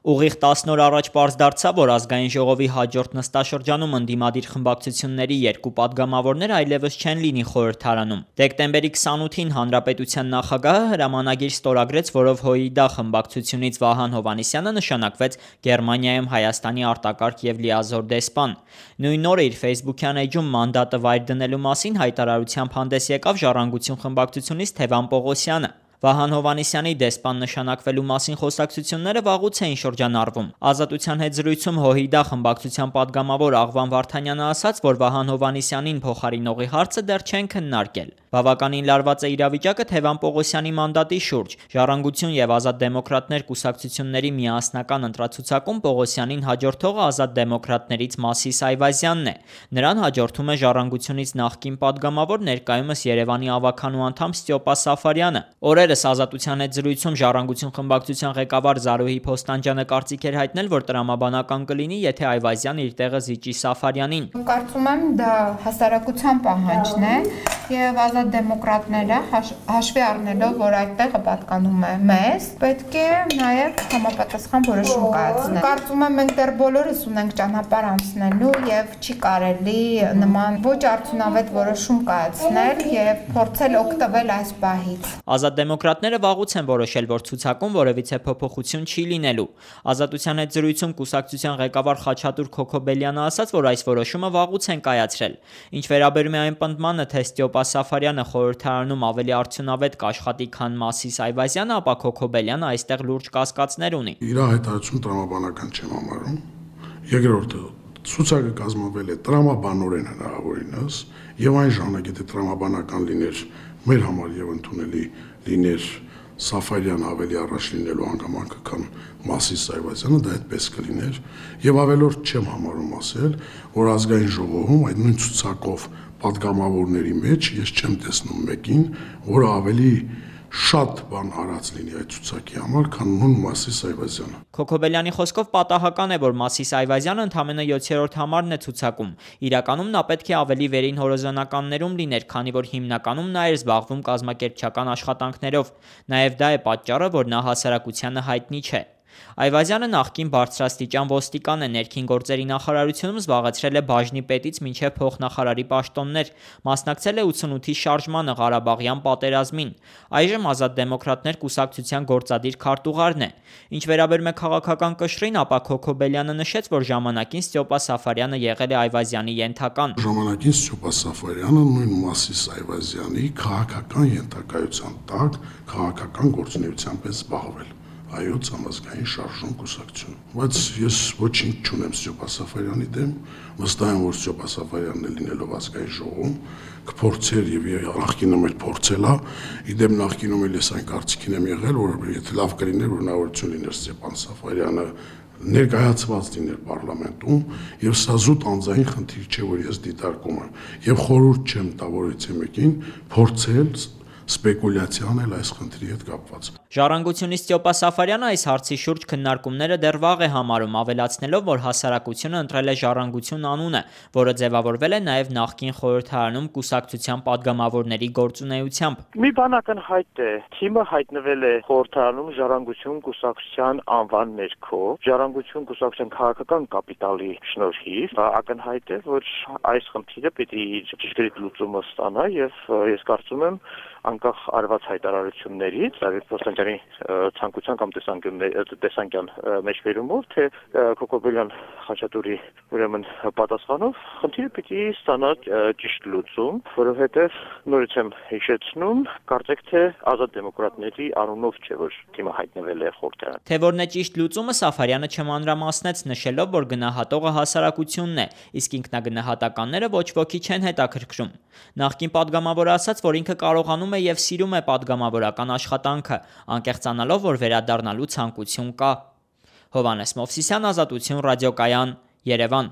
Ուղիղ 10 օր առաջ պարզ դարձավ, որ ազգային ժողովի հաջորդ նստաշրջանում ընդդիմադիր խմբակցությունների երկու պատգամավորներ այլևս չեն լինի խորհրդարանում։ Դեկտեմբերի 28-ին Հանրապետության նախագահը հրամանագիր ստորագրեց, որով ՀՅԴ խմբակցությունից Վահան Հովհաննիսյանը նշանակվեց Գերմանիայում Հայաստանի արտակարգ և լիազոր դեսպան։ Նույն օրը իր ֆեյսբուքյան էջում մանդատը վայր դնելու մասին հայտարարությամբ հանդես եկավ Ժառանգություն խմբակցությունից Թևան Պողոսյանը։ Վահան Հովհաննիսյանի դեսպան նշանակվելու մասին խոսակցությունները վաղուց էին շրջանառվում։ Ազատության հետ զրույցում ՀՅԴ խմբակցության պատգամավոր Աղվան Վարդանյանը ասաց, որ Վահան Հովհաննիսյանին փոխարինողի հարցը դեռ չեն քննարկել։ Բավականին լարված է իրավիճակը Թևան Պողոսյանի մանդատի շուրջ։ Ժառանգություն և Ազատ դեմոկրատներ կուսակցությունների միասնական ընտրացուցակում Պողոսյանին հաջորդողը Ազատ դեմոկրատներից Մասիս Այվազյանն է։ Նրան հաջորդում է Ժառանգությունից նախկին պատգամավոր, ներկայումս Երևանի ավագանու անդամ Ստյոպա Սաֆարյանը։ Օրերս Ազատության հետ զրույցում Ժառանգություն խմբակցության ղեկավար Զարուհի Փոստանջյանը կարծիք էր հայտնել, որ տրամաբանական կլինի, եթե Այվազյանը իր տեղը զիջի Սաֆարյանին։ Կարծում եմ դա հասարակության պահանջն է եւ Ազատ դեմոկրատները հաշվի առնելով, որ այդ տեղը պատկանում է մեզ, պետք է նաեւ համապատասխան որոշում կայացնել։ Կարծում եմ մենք դեռ բոլորս ունենք ճանապարհ անցնելու եւ չի կարելի նման ոչ արդյունավետ որոշում կայացնել եւ փորձել օգտվել այս պահից։ Ազատ դեմոկրատները վաղուց են որոշել, որ ցուցակում որևիցե փոփոխություն չի լինելու։ Ազատության հետ զրույցում կուսակցության ղեկավար Խաչատուր Քոքոբելյանը ասաց, որ այս որոշումը վաղուց են կայացրել։ Ինչ վերաբերում է այն պնդմանը, թե Ստյոպա Սաֆարյանը խորհրդարանում ավելի արդյունավետ կաշխատի, քան Մասիս Այվազյանը, ապա Քոքոբելյանը այստեղ լուրջ կասկածներ ունի։ Իր հայտարարությունը տրամաբանական չեմ համարում։ Երկրորդը, ցուցակը կազմվել է տրամաբանորեն հնարավորինս եւ այն ժամանակ, եթե տրամաբանական լիներ մեր համար եւ ընդունելի լիներ Սաֆարյանը ավելի առաջ լինելու հանգամանքը, քան Մասիս Այվազյանը, դա այդպես կլիներ եւ ավելորդ չեմ համարում ասել, որ ազգային ժողովում այդ նույն ցուցակով պատգամավորների մեջ ես չեմ տեսնում մեկին, որը ավելի շատ բան արած լինի այդ ցուցակի համար, քան նույն Մասիս Այվազյանը։ Քոքոբելյանի խոսքով պատահական է, որ Մասիս Այվազյանը ընդամենը 7-րդ համարն է ցուցակում։ Իրականում նա պետք է ավելի վերին հորիզոնականներում լիներ, քանի որ հիմնականում նա էր զբաղվում կազմակերպչական աշխատանքներով։ Նաև դա է պատճառը, որ նա հասարակությանը հայտնի չէ։ Այվազյանը նախկին բարձրաստիճան ոստիկան է, ներքին գործերի նախարարությունում զբաղեցրել է բաժնի պետից մինչև փոխնախարարի պաշտոններ, մասնակցել է 88-ի շարժմանը, Ղարաբաղյան պատերազմին։ Այժմ Ազատ դեմոկրատներ կուսակցության գործադիր քարտուղարն է։ Ինչ վերաբերում է քաղաքական կշռին, ապա Քոքոբելյանը նշեց, որ ժամանակին Ստյոպա Սաֆարյանը եղել է Այվազյանի ենթական։ Ժամանակին Ստյոպա Սաֆարյանը նույն Մասիս Այվազյանի քաղաքական ենթակայության տակ քաղաքական գործունեությամբ է զբաղվել։ Այոց համազգային շարժում կուսակցություն։ Բայց ես ոչինչ չունեմ Ստյոպա Սաֆարյանի դեմ, վստահ եմ, որ Ստյոպա Սաֆարյանն լինելով ազգային ժողովում կփորձեր եւ նախկինում էլ փորձել է, իդեպ նախկինում էլ ես այն կարծիքին եմ եղել, որ եթե լավ կլիներ, որ հնարավորություն լիներ Ստյոպա Սաֆարյանը ներկայացված լիներ պարլամենտում եւ սա զուտ անձային խնդիր չէ, որ ես դիտարկում եմ եւ խորհուրդ չեմ տա որևէ մեկին փորձել սպեկուլյացիա անել այս խնդրի հետ կապված։ Ժառանգությունից Ստյոպա Սաֆարյանը այս հարցի շուրջ քննարկումները դեռ վաղ է համարում, ավելացնելով, որ հասարակությունը ընտրել է Ժառանգություն անունը, որը ձևավորվել է նաև նախկին խորհրդարանում կուսակցության պատգամավորների գործունեությամբ։ Մի բան ակնհայտ է, թիմը հայտնվել է խորհրդարանում Ժառանգություն կուսակցության անվան ներքո, Ժառանգություն կուսակցության քաղաքական կապիտալի շնորհիվ, ակնհայտ է, որ այս խնդիրը պիտի ճշգրիտ լուծումը ստանա եւ ես կարծում եմ անկախ արված հայտարարություններից, Զարուհի Փոստանջյանի ցանկության կամ տեսանկյան մեջբերումով, թե Քոքոբելյան Խաչատուրի ուրեմն պատասխանով, խնդիրը պիտի ստանա ճիշտ լուծում, որովհետև նորից եմ հիշեցնում, կարծեք թե Ազատ դեմոկրատների անունով չէ, որ թիմը հայտնվել է խորհրդարանում։ Թե որն է ճիշտ լուծումը, Սաֆարյանը չմանրամասնեց, նշելով, որ գնահատողը հասարակությունն է, իսկ ինքնագնահատականները ոչ ոքի չեն հետաքրքրում։ Նախկին պատգամավորը ասաց, որ ինքը կարողանում է եւ սիրում է պատգամավորական աշխատանքը, անկեղծանալով, որ վերադառնալու ցանկություն կա։ Հովհաննես Մովսիսյան, Ազատություն ռադիոկայան, Երևան։